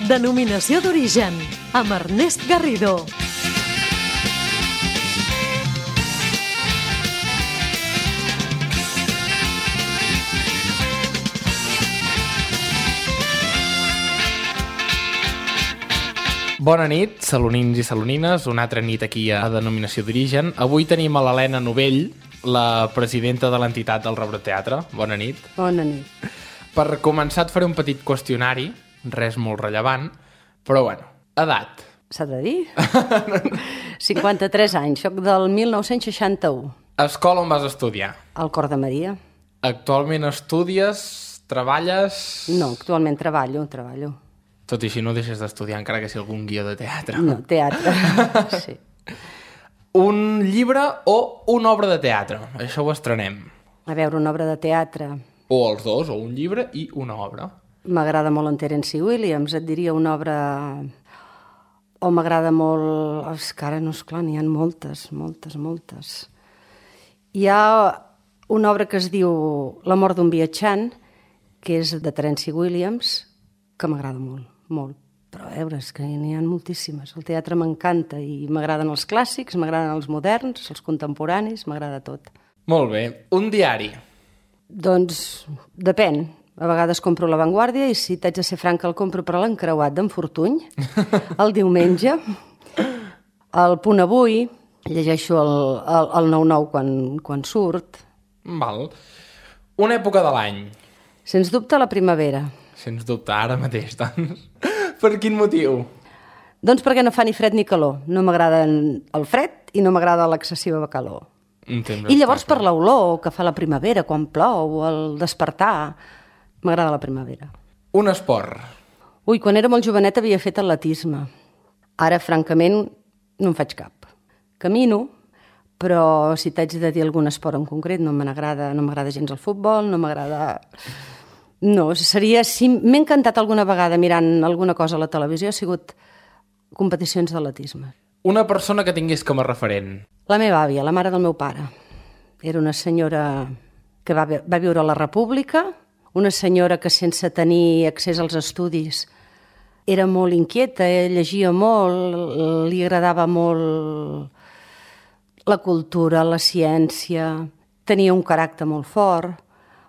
Denominació d'origen, amb Ernest Garrido. Bona nit, salonins i salonines, una altra nit aquí a Denominació d'origen. Avui tenim a l'Helena Novell, la presidenta de l'entitat del Rebrot Teatre. Bona nit. Bona nit. Per començar et faré un petit qüestionari, res molt rellevant, però bueno, edat. S'ha de dir? 53 anys, soc del 1961. Escola on vas estudiar? Al Cor de Maria. Actualment estudies, treballes... No, actualment treballo. Tot i així no deixes d'estudiar, encara que sigui algun guió de teatre. No, teatre, sí. Un llibre o una obra de teatre? Això ho estrenem. A veure, una obra de teatre. O els dos, o un llibre i una obra. M'agrada molt en Terence Williams, et diria una obra... O m'agrada molt... És que ara no, esclar, n'hi ha moltes. Hi ha una obra que es diu La mort d'un viatjant, que és de Terence Williams, que m'agrada molt. Però a veure, és que n'hi ha moltíssimes. El teatre m'encanta i m'agraden els clàssics, m'agraden els moderns, els contemporanis, m'agrada tot. Molt bé. Un diari? Doncs depèn. A vegades compro La Vanguardia i, si t'haig de ser franca, el compro per l'encreuat d'en Fortuny, el diumenge. El Punt Avui, llegeixo el 9-9 quan surt. Val. Una època de l'any? Sens dubte la primavera. Sens dubte, ara mateix, doncs. Per quin motiu? Doncs perquè no fa ni fred ni calor. No m'agrada el fred i no m'agrada l'excessiva calor. I llavors per l'olor que fa la primavera, quan plou, o el despertar, m'agrada la primavera. Un esport? Ui, quan era molt jovenet havia fet atletisme. Ara, francament, no en faig cap. Camino, però si t'haig de dir algun esport en concret, no m'agrada gens el futbol, no m'agrada... No, seria... Si m'he encantat alguna vegada mirant alguna cosa a la televisió, ha sigut competicions d'atletisme. Una persona que tingués com a referent? La meva àvia, la mare del meu pare. Era una senyora que va viure a la República, una senyora que sense tenir accés als estudis era molt inquieta, llegia molt, li agradava molt la cultura, la ciència, tenia un caràcter molt fort,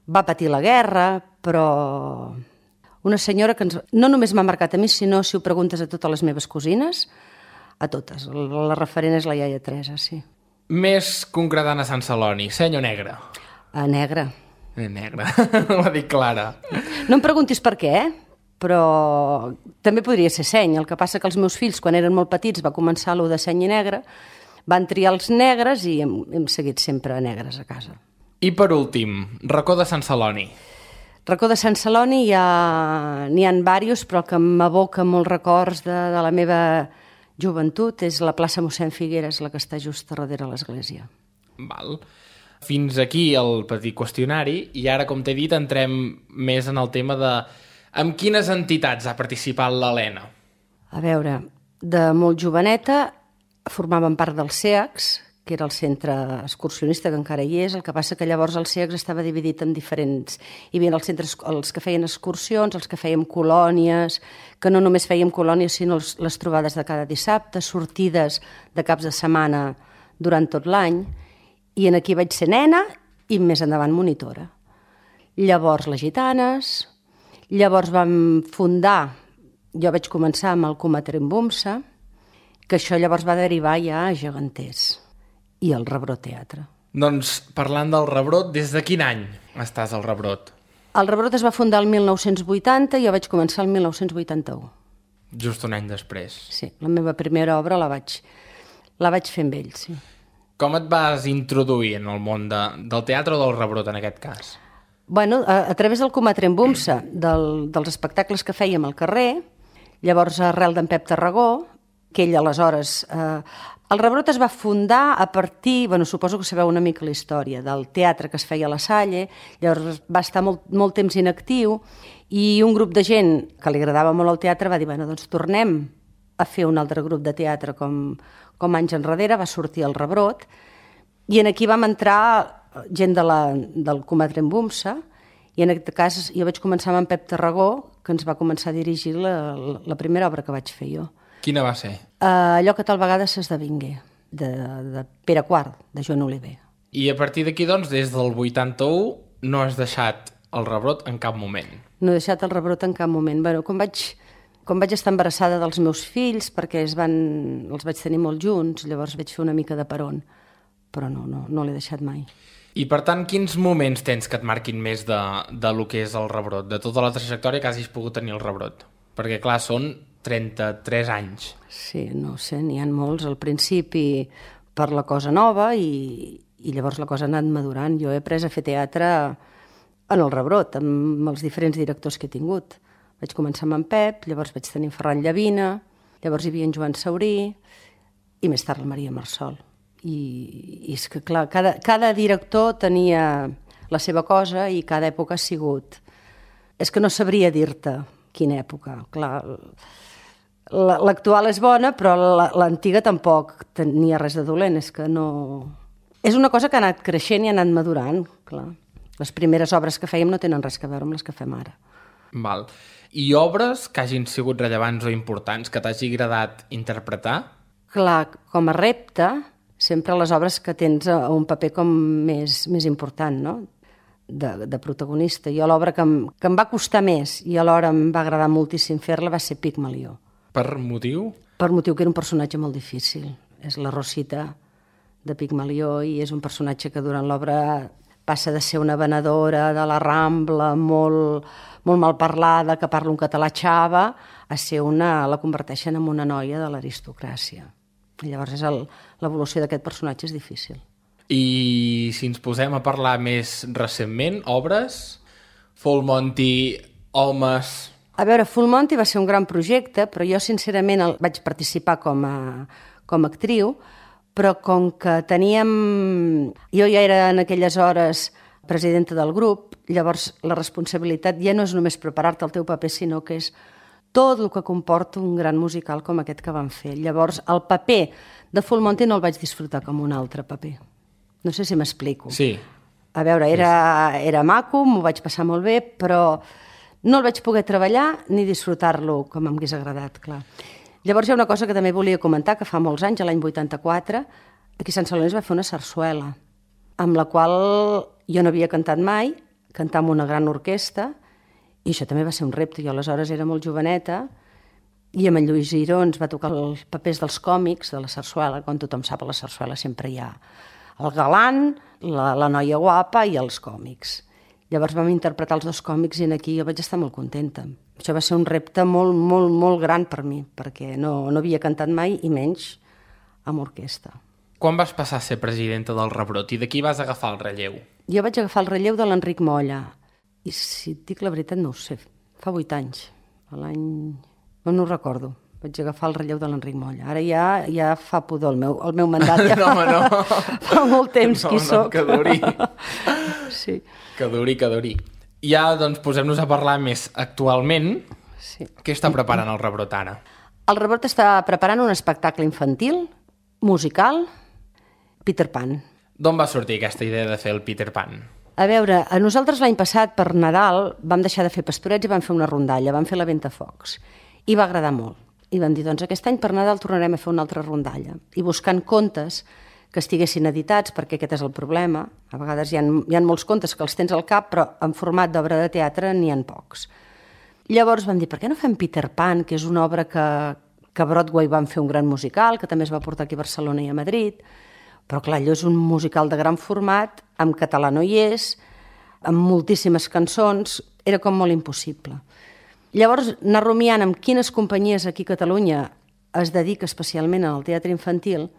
va patir la guerra, però una senyora que no només m'ha marcat a mi, sinó, si ho preguntes a totes les meves cosines, a totes. La referent és la iaia Teresa, sí. Més concretant a Sant Celoni, seny o negre? Negre. Negre, ho ha dit clara. No em preguntis per què, però també podria ser seny. El que passa que els meus fills, quan eren molt petits, va començar allò de seny i negre, van triar els negres i hem seguit sempre negres a casa. I per últim, racó de Sant Celoni. Racó de Sant Celoni n'hi ha diversos, però el que m'evoca molts records de la meva joventut és la plaça Mossèn Figueres, la que està just darrere l'església. Val. Fins aquí el petit qüestionari i ara, com t'he dit, entrem més en el tema de amb quines entitats ha participat l'Helena. A veure, de molt joveneta formaven part del CEACS, que era el centre excursionista, que encara hi és. El que passa que llavors el CEACS estava dividit en diferents... Hi havia els centres, els que feien excursions, els que fèiem colònies, que no només fèiem colònies, sinó les trobades de cada dissabte, sortides de caps de setmana durant tot l'any, i en aquí vaig ser nena i més endavant monitora. Llavors les gitanes, llavors vam fundar, jo vaig començar amb el Comatrenbumsa, que això llavors va derivar ja a Geganters, i el Rebrot Teatre. Doncs, parlant del Rebrot, des de quin any estàs al Rebrot? El Rebrot es va fundar el 1980 i jo vaig començar el 1981. Just un any després. Sí, la meva primera obra la vaig fer amb ells, sí. Com et vas introduir en el món del teatre o del Rebrot, en aquest cas? Bueno, a través del Comatrenbumsa, dels espectacles que fèiem al carrer, llavors arrel d'en Pep Tarragó, que ell aleshores... El Rebrot es va fundar a partir, suposo que sabeu una mica la història, del teatre que es feia a la Salle, llavors va estar molt temps inactiu i un grup de gent que li agradava molt el teatre va dir, doncs tornem a fer un altre grup de teatre com anys enrere, va sortir el Rebrot, i en aquí vam entrar gent del Comatrenbumsa, i en aquest cas jo vaig començar amb en Pep Tarragó, que ens va començar a dirigir la primera obra que vaig fer jo. Quina va ser? Allò que tal vegada s'esdevingué, de Pere IV, de Joan Oliver. I a partir d'aquí, doncs, des del 81 no has deixat el rebrot en cap moment. No he deixat el rebrot en cap moment. Bueno, quan vaig estar embarassada dels meus fills, perquè els vaig tenir molt junts, llavors vaig fer una mica de peron, però no l'he deixat mai. I per tant, quins moments tens que et marquin més de lo que és el rebrot? De tota la trajectòria que hagis pogut tenir el rebrot? Perquè, clar, són 33 anys. Sí, no sé, n'hi ha molts. Al principi per la cosa nova i llavors la cosa ha anat madurant. Jo he après a fer teatre en el rebrot, amb els diferents directors que he tingut. Vaig començar amb en Pep, llavors vaig tenir Ferran Llavina, llavors hi havia en Joan Saurí i més tard la Maria Marsol. I és que, clar, cada director tenia la seva cosa i cada època ha sigut... És que no sabria dir-te quina època. Clar, l'actual és bona, però l'antiga tampoc tenia res de dolent. És que no... És una cosa que ha anat creixent i ha anat madurant, clar. Les primeres obres que fèiem no tenen res a veure amb les que fem ara. Val. I obres que hagin sigut rellevants o importants, que t'hagi agradat interpretar? Clar, com a repte, sempre les obres que tens un paper com més important, no?, de protagonista. Jo l'obra que em va costar més i alhora em va agradar moltíssim fer-la va ser Pigmalió. Per motiu? Per motiu que era un personatge molt difícil. És la Rosita de Pigmalió i és un personatge que durant l'obra passa de ser una venedora de la Rambla molt mal parlada, que parla un català xava, a ser la converteixen en una noia de l'aristocràcia. I llavors l'evolució d'aquest personatge és difícil. I si ens posem a parlar més recentment, obres, Full Monty, Homes... A veure, Full Monty va ser un gran projecte, però jo sincerament vaig participar com a actriu, però com que teníem... Jo ja era en aquelles hores presidenta del grup, llavors la responsabilitat ja no és només preparar-te el teu paper, sinó que és tot el que comporta un gran musical com aquest que van fer. Llavors, el paper de Full Monty no el vaig disfrutar com un altre paper. No sé si m'explico. Sí. A veure, era maco, m'ho vaig passar molt bé, però no el vaig poder treballar ni disfrutar-lo com m'hagués agradat, clar. Llavors hi ha una cosa que també volia comentar, que fa molts anys, l'any 84, aquí a Sant Celoni es va fer una sarsuela, amb la qual jo no havia cantat mai, cantar amb una gran orquestra, i això també va ser un repte. Jo aleshores era molt joveneta, i amb en Lluís Giró ens va tocar els papers dels còmics de la sarsuela. Com tothom sap, a la sarsuela sempre hi ha el galant, la noia guapa i els còmics. Llavors vam interpretar els dos còmics i aquí jo vaig estar molt contenta. Això va ser un repte molt, molt, molt gran per mi, perquè no havia cantat mai i menys amb orquestra. Quan vas passar a ser presidenta del Rebrot i de qui vas agafar el relleu? Jo vaig agafar el relleu de l'Enric Molla. I si et dic la veritat no ho sé, fa 8 anys. No ho recordo. Vaig agafar el relleu de l'Enric Molla. Ara ja fa pudor el meu mandat. Ja No. Fa molt temps qui soc. Que duri. Sí. Que duri. Ja, doncs, posem-nos a parlar més actualment. Sí. Què està preparant el Rebrot ara? El Rebrot està preparant un espectacle infantil, musical, Peter Pan. D'on va sortir aquesta idea de fer el Peter Pan? A veure, a nosaltres l'any passat, per Nadal, vam deixar de fer pastorets i vam fer una rondalla, vam fer la Ventafocs. I va agradar molt. I vam dir, doncs aquest any per Nadal tornarem a fer una altra rondalla. I buscant contes que estiguessin editats, perquè aquest és el problema. A vegades hi ha molts contes que els tens al cap, però en format d'obra de teatre n'hi ha pocs. Llavors vam dir, per què no fem Peter Pan, que és una obra que a Broadway van fer un gran musical, que també es va portar aquí a Barcelona i a Madrid, però clar, allò és un musical de gran format, en català no hi és, amb moltíssimes cançons, era com molt impossible. Llavors, anar rumiant amb quines companyies aquí a Catalunya es dedica especialment al teatre infantil,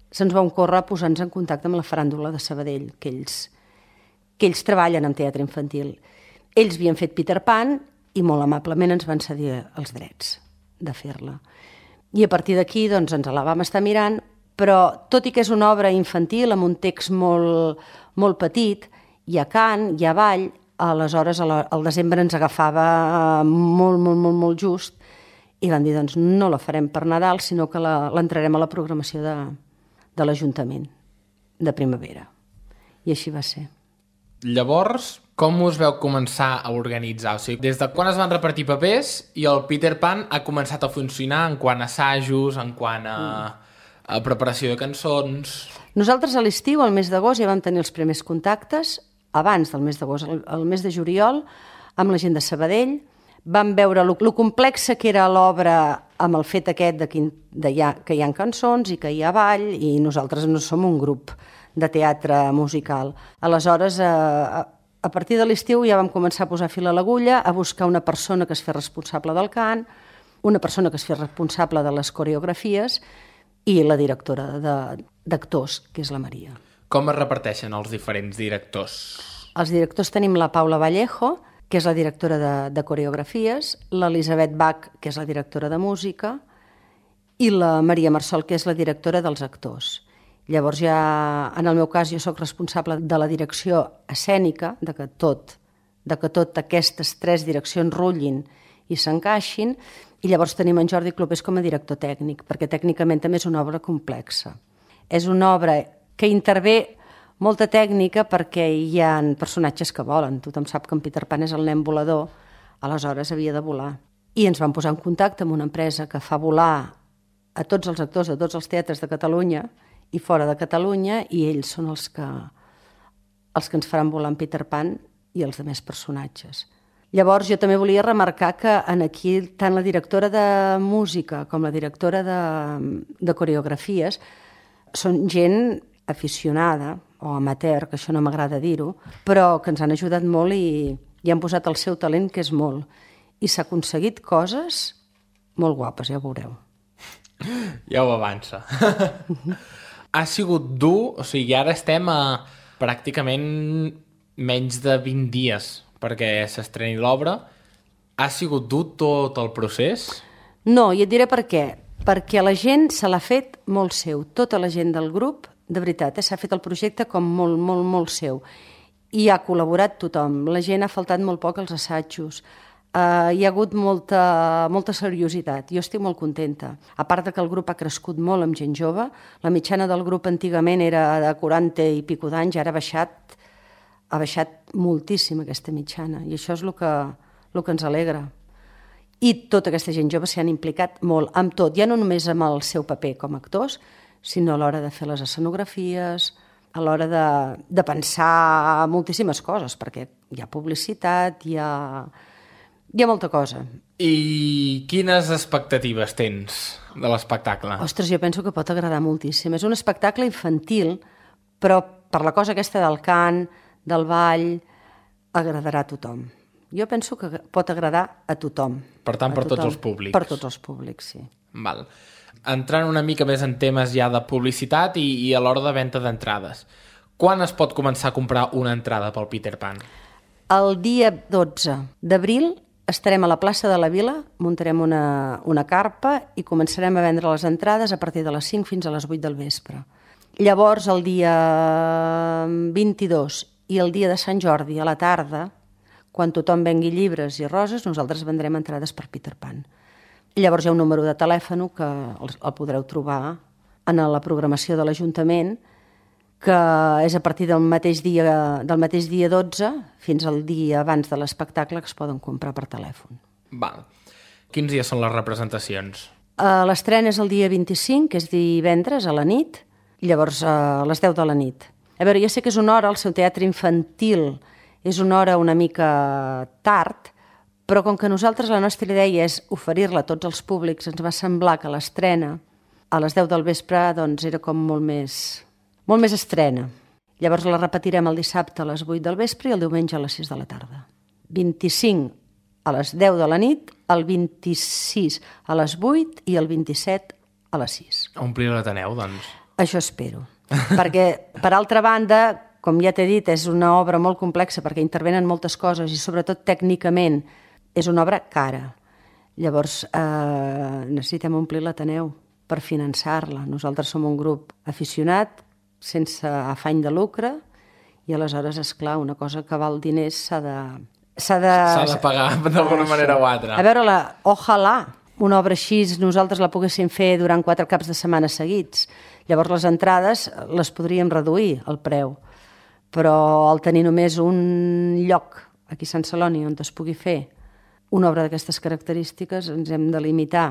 se'ns va ocórrer posar-nos en contacte amb la Faràndula de Sabadell, que ells treballen en teatre infantil. Ells havien fet Peter Pan i molt amablement ens van cedir els drets de fer-la. I a partir d'aquí doncs, ens la vam estar mirant, però tot i que és una obra infantil amb un text molt, molt petit, hi ha cant, hi ha ball, aleshores al desembre ens agafava molt just i vam dir, doncs no la farem per Nadal, sinó que l'entrarem a la programació de l'Ajuntament de primavera. I així va ser. Llavors, Com us veu començar a organitzar? O sigui, des de quan es van repartir papers i el Peter Pan ha començat a funcionar en quant a assajos, en quant a preparació de cançons... Nosaltres a l'estiu, al mes d'agost, ja vam tenir els primers contactes, abans del mes d'agost, el mes de juliol, amb la gent de Sabadell, vam veure lo complexa que era l'obra amb el fet aquest que hi ha cançons i que hi ha ball, i nosaltres no som un grup de teatre musical. Aleshores, a partir de l'estiu ja vam començar a posar fil a l'agulla, a buscar una persona que es fes responsable del cant, una persona que es fes responsable de les coreografies i la directora d'actors, que és la Maria. Com es reparteixen els diferents directors? Els directors tenim la Paula Vallejo, que és la directora de coreografies, l'Elisabet Bach, que és la directora de música, i la Maria Marsol, que és la directora dels actors. Llavors ja, en el meu cas, jo sóc responsable de la direcció escènica, de que tot aquestes 3 direccions rutllin i s'encaixin, i llavors tenim en Jordi Clopés com a director tècnic, perquè tècnicament també és una obra complexa. És una obra que intervé molta tècnica perquè hi ha personatges que volen. Tothom sap que en Peter Pan és el nen volador, aleshores havia de volar. I ens vam posar en contacte amb una empresa que fa volar a tots els actors de tots els teatres de Catalunya i fora de Catalunya, i ells són els que ens faran volar en Peter Pan i els altres personatges. Llavors jo també volia remarcar que aquí tant la directora de música com la directora de coreografies són gent aficionada o amateur, que això no m'agrada dir-ho, però que ens han ajudat molt i han posat el seu talent, que és molt. I s'ha aconseguit coses molt guapes, ja ho veureu. Ja ho avança. Ha sigut dur, o sigui, ara estem a pràcticament menys de 20 dies perquè s'estreni l'obra. Ha sigut dur tot el procés? No, i et diré per què. Perquè la gent se l'ha fet molt seu. Tota la gent del grup, de veritat, s'ha fet el projecte com molt, molt, molt seu. I ha col·laborat tothom. La gent ha faltat molt poc als assajos. Hi ha hagut molta seriositat. Jo estic molt contenta. A part de que el grup ha crescut molt amb gent jove, la mitjana del grup antigament era de 40 i pico d'anys, ara ha baixat moltíssim aquesta mitjana, i això és el que ens alegra. I tota aquesta gent jove s'hi han implicat molt amb tot, ja no només amb el seu paper com a actors, sinó a l'hora de fer les escenografies, a l'hora de pensar moltíssimes coses, perquè hi ha publicitat, hi ha molta cosa. I quines expectatives tens de l'espectacle? Ostres, jo penso que pot agradar moltíssim. És un espectacle infantil, però per la cosa aquesta del cant, del ball, agradarà a tothom. Jo penso que pot agradar a tothom. Per tant, per tots els públics. Per tots els públics, sí. Val. Entrant una mica més en temes ja de publicitat i a l'hora de venda d'entrades. Quan es pot començar a comprar una entrada pel Peter Pan? El dia 12 d'abril estarem a la plaça de la Vila, muntarem una carpa i començarem a vendre les entrades a partir de les 5 fins a les 8 del vespre. Llavors, el dia 22 i el dia de Sant Jordi a la tarda, quan tothom vengui llibres i roses, nosaltres vendrem entrades per Peter Pan. Llavors hi ha un número de telèfon que el podreu trobar en la programació de l'Ajuntament, que és a partir del mateix dia 12 fins al dia abans de l'espectacle que es poden comprar per telèfon. Val. Quins dies són les representacions? L'estrena és el dia 25, que és divendres a la nit, llavors a les 10 de la nit. A veure, ja sé que és una hora, el seu teatre infantil és una hora una mica tard, però com que nosaltres la nostra idea és oferir-la a tots els públics, ens va semblar que l'estrena a les 10 del vespre doncs era com molt més estrena. Llavors la repetirem el dissabte a les 8 del vespre i el diumenge a les 6 de la tarda. 25 a les 10 de la nit, el 26 a les 8 i el 27 a les 6. A omplir l'Ateneu, doncs. Això espero. Perquè, per altra banda, com ja t'he dit, és una obra molt complexa perquè intervenen moltes coses i sobretot tècnicament és una obra cara. Llavors necessitem omplir l'Ateneu per finançar-la. Nosaltres som un grup aficionat, sense afany de lucre, i aleshores, esclar, una cosa que val diners s'ha de pagar d'alguna manera o altra. A veure, ojalà una obra així nosaltres la poguéssim fer durant 4 caps de setmana seguits. Llavors les entrades les podríem reduir, el preu. però al tenir només un lloc aquí a Sant Celoni on es pugui fer una obra d'aquestes característiques, ens hem de limitar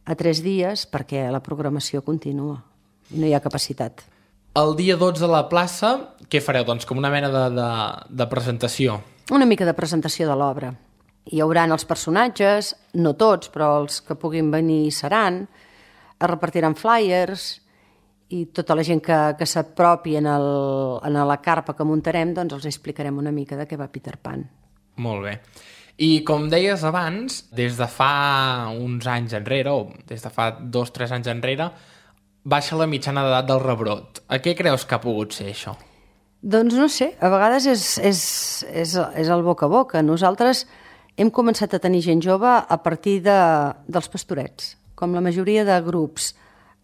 a 3 dies perquè la programació continua i no hi ha capacitat. El dia 12 a la plaça, què fareu? Doncs com una mena de presentació. Una mica de presentació de l'obra. Hi hauran els personatges, no tots, però els que puguin venir seran, es repartiran flyers i tota la gent que s'apropi en la carpa que muntarem, doncs els explicarem una mica de què va Peter Pan. Molt bé. I com deies abans, des de fa uns anys enrere, o des de fa 2-3 anys enrere, baixa la mitjana d'edat del rebrot. A què creus que ha pogut ser això? Doncs no sé, a vegades és el boca a boca. Nosaltres hem començat a tenir gent jove a partir dels pastorets. Com la majoria de grups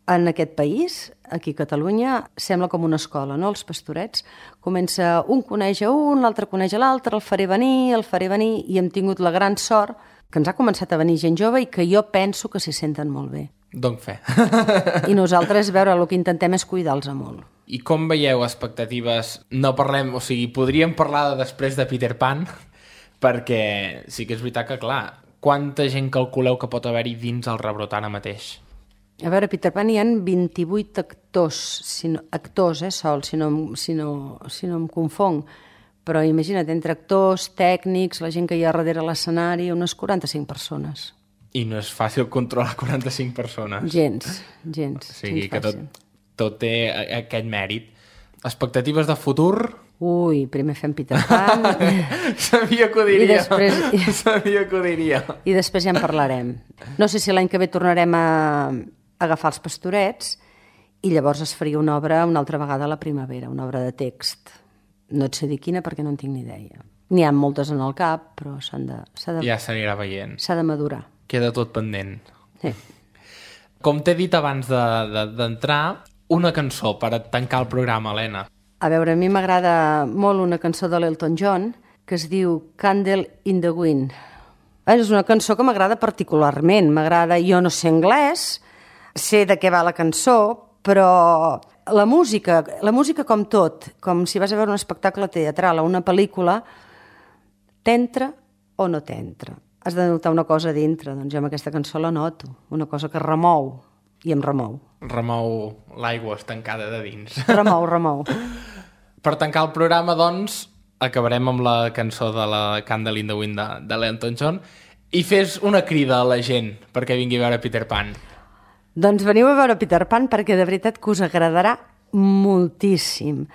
en aquest país, aquí a Catalunya, sembla com una escola, no? Els pastorets. Comença un coneix a un, l'altre coneix a l'altre, el faré venir, i hem tingut la gran sort que ens ha començat a venir gent jove i que jo penso que s'hi senten molt bé. Donc fe. I nosaltres, veure, el que intentem és cuidar-los molt. I com veieu expectatives? No parlem, o sigui, podríem parlar de després de Peter Pan, perquè sí que és veritat que, clar, quanta gent calculeu que pot haver-hi dins el rebrot ara mateix? A veure, Peter Pan hi ha 28 actors, sols, si no em confong. Però imagina't, entre actors, tècnics, la gent que hi ha darrere l'escenari, unes 45 persones. I no és fàcil controlar 45 persones. Gens. O sigui que tot té aquest mèrit. Expectatives de futur? Ui, primer fem Peter Pan. Sabia que ho diria. Sabia que ho diria. I després ja en parlarem. No sé si l'any que ve tornarem a agafar els pastorets i llavors es faria una obra una altra vegada a la primavera, una obra de text. No et sé dir quina perquè no en tinc ni idea. N'hi ha moltes en el cap, però ja s'anirà veient. S'ha de madurar. Queda tot pendent. Sí. Com t'he dit abans d'entrar, una cançó per tancar el programa, Helena. A veure, a mi m'agrada molt una cançó de l'Elton John que es diu Candle in the Wind. És una cançó que m'agrada particularment. M'agrada, jo no sé anglès, sé de què va la cançó, però la música com tot, com si vas a veure un espectacle teatral o una pel·lícula, t'entra o no t'entra. Has de notar una cosa dintre, doncs jo amb aquesta cançó la noto, una cosa que remou, i em remou. Remou l'aigua estancada de dins. Remou. Per tancar el programa, doncs, acabarem amb la cançó de la Candle in the Wind de l'Elton John i fes una crida a la gent perquè vingui a veure Peter Pan. Doncs veniu a veure Peter Pan perquè de veritat que us agradarà moltíssim.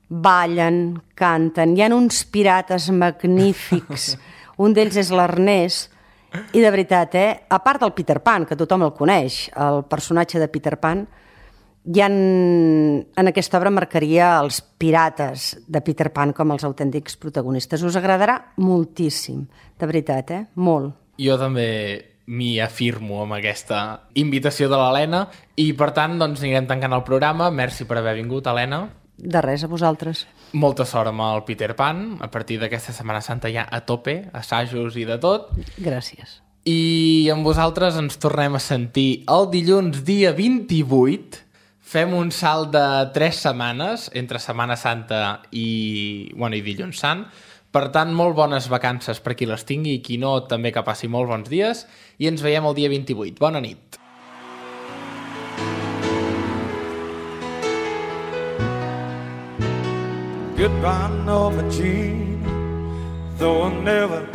Ballen, canten, hi ha uns pirates magnífics. Un d'ells és l'Ernest, i de veritat, a part del Peter Pan, que tothom el coneix, el personatge de Peter Pan, en aquesta obra marcaria els pirates de Peter Pan com els autèntics protagonistes. Us agradarà moltíssim, de veritat, molt. Jo també m'hi afirmo amb aquesta invitació de l'Helena i, per tant, doncs anirem tancant el programa. Merci per haver vingut, Helena. De res, a vosaltres. Molta sort amb el Peter Pan. A partir d'aquesta Setmana Santa ja a tope, assajos i de tot. Gràcies. I amb vosaltres ens tornem a sentir el dilluns dia 28. Fem un salt de 3 setmanes entre Setmana Santa i Dilluns Sant. Per tant, molt bones vacances per qui les tingui i qui no, també que passi molt bons dies. I ens veiem el dia 28. Bona nit. Goodbye, Norma Jean. Though I never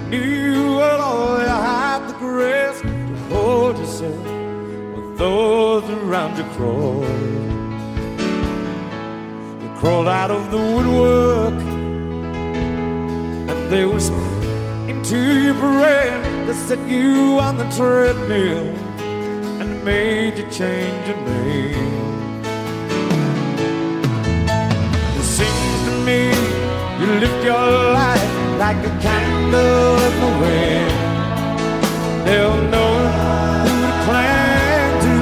knew at all, you had the grace to hold yourself when those around you crawled. You crawled out of the woodwork and they whispered into your brain. They set you on the treadmill and made you change your name. You lift your life like a candle in the wind. They'll know who to cling to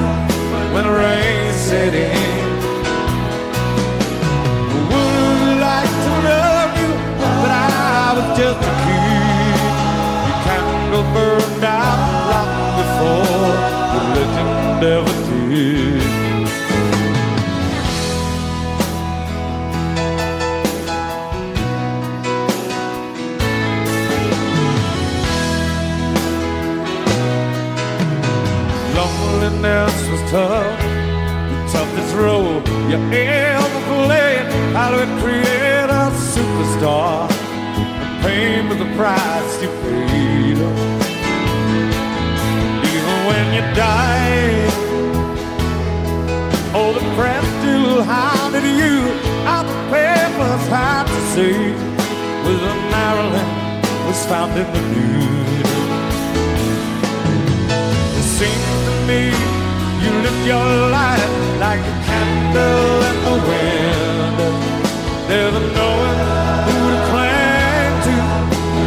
when the rain set in. I would like to love you, but I was just a kid. Your candle burned out long before the legend ever did. else was tough. The toughest role you ever played. How do we create a superstar and pay for the price you paid? Even when you die, oh, the press still hounded you. Out the papers had to say, with a Maryland was found in the nude. It seems to me you live your life like a candle in the wind, never knowing who to cling to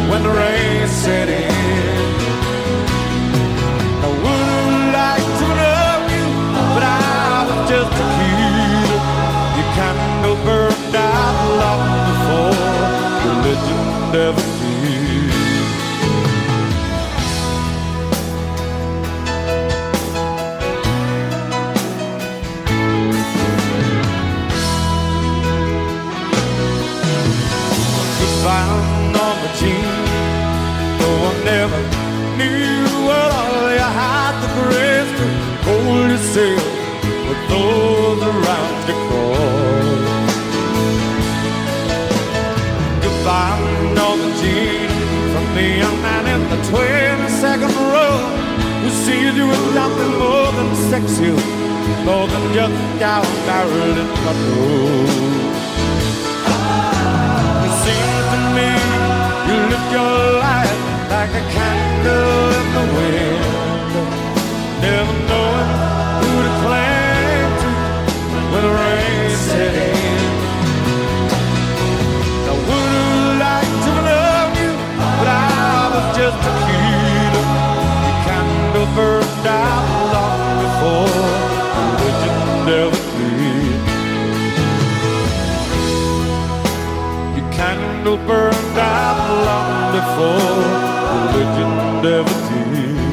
when the rain set in. I would like to love you, but I was just a kid. Your candle burned out long before religion ever did. Found on the team, though I never knew what all you had the grace to hold yourself with those around you crawl. Goodbye, Northern Jean, from the young man in the 22nd row, who sees you with nothing more than sex appeal, more than just a cow barrel in the road. Seems to me you live your life like a candle in the wind, never knowing who to cling to when the rain set in. I would like to love you, but I was just a kid. Your candle burned out long before religion never did. Candle burned out long before religion ever did.